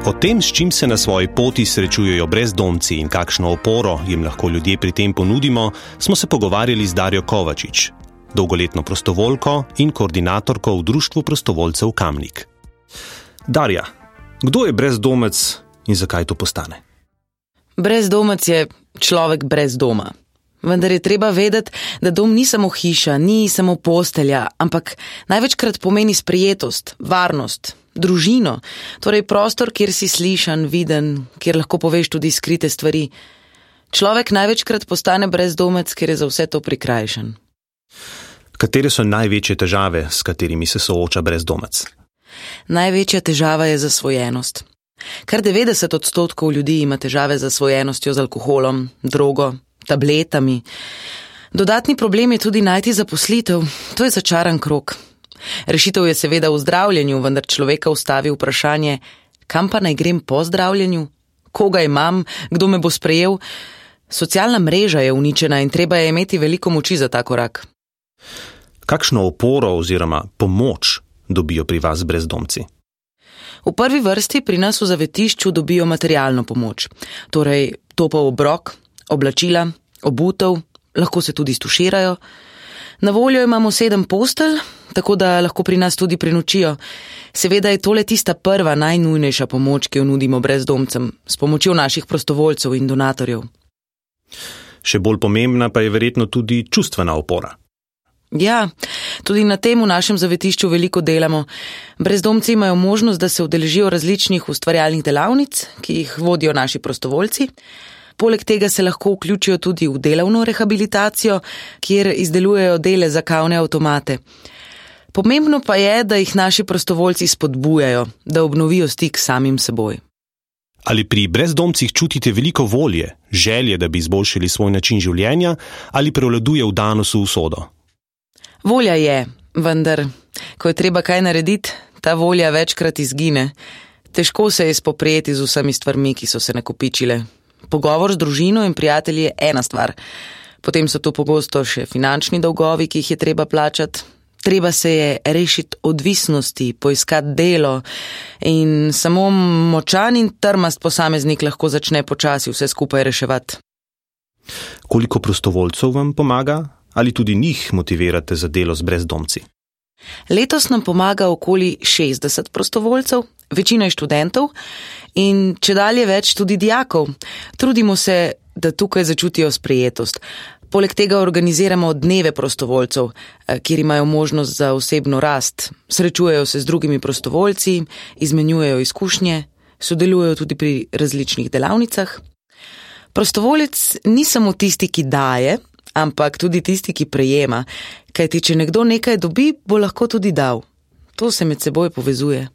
O tem, s čim se na svoji poti srečujejo brezdomci in kakšno oporo jim lahko ljudje pri tem ponudimo, smo se pogovarjali z Darjo Kovačič, dolgoletno prostovoljko in koordinatorko v Društvu prostovoljcev Kamnik. Darja, kdo je brezdomec in zakaj to postane? Brezdomec je človek brez doma. Vendar je treba vedeti, da dom ni samo hiša, ni samo postelja, ampak največkrat pomeni sprejetost, varnost, družino, torej prostor, kjer si slišan, viden, kjer lahko poveš tudi skrite stvari. Človek največkrat postane brezdomec, ker je za vse to prikrajšan. Katere so največje težave, s katerimi se sooča brezdomec? Največja težava je zasvojenost. Kar 90% ljudi ima težave z zasvojenostjo z alkoholom, drogo, tabletami. Dodatni problem je tudi najti zaposlitev, to je začaran krog. Rešitev je seveda v zdravljenju, vendar človeka ustavi vprašanje, kam pa naj grem po zdravljenju? Koga imam? Kdo me bo sprejel? Socialna mreža je uničena in treba je imeti veliko moči za ta korak. Kakšno oporo oziroma pomoč dobijo pri vas brezdomci? V prvi vrsti pri nas v zavetišču dobijo materialno pomoč, torej topel obrok, oblačila, obutev, lahko se tudi stuširajo. Na voljo imamo 7 postelj, tako da lahko pri nas tudi prenočijo. Seveda je tole tista prva, najnujnejša pomoč, ki jo nudimo brezdomcem, s pomočjo naših prostovoljcev in donatorjev. Še bolj pomembna pa je verjetno tudi čustvena opora. Ja, tudi na tem v našem zavetišču veliko delamo. Brezdomci imajo možnost, da se udeležijo različnih ustvarjalnih delavnic, ki jih vodijo naši prostovoljci. Poleg tega se lahko vključijo tudi v delovno rehabilitacijo, kjer izdelujejo dele za kavne avtomate. Pomembno pa je, da jih naši prostovoljci spodbujajo, da obnovijo stik s samim seboj. Ali pri brezdomcih čutite veliko volje, želje, da bi izboljšali svoj način življenja, ali prevladuje vdanost v usodo? Volja je, vendar, ko je treba kaj narediti, ta volja večkrat izgine. Težko se je spoprijeti z vsemi stvarmi, ki so se nakopičile. Pogovor z družino in prijatelji je ena stvar. Potem so tu pogosto še finančni dolgovi, ki jih je treba plačati. Treba se je rešiti odvisnosti, poiskati delo in samo močan in trmast posameznik lahko začne počasi vse skupaj reševati. Koliko prostovoljcev vam pomaga? Ali tudi njih motivirate za delo z brezdomci? Letos nam pomaga okoli 60 prostovoljcev, večina je študentov in čedalje več tudi dijakov. Trudimo se, da tukaj začutijo sprejetost. Poleg tega organiziramo dneve prostovoljcev, kjer imajo možnost za osebno rast. Srečujejo se z drugimi prostovoljci, izmenjujejo izkušnje, sodelujejo tudi pri različnih delavnicah. Prostovoljec ni samo tisti, ki daje, ampak tudi tisti, ki prejema, kajti če nekdo nekaj dobi, bo lahko tudi dal. To se med seboj povezuje.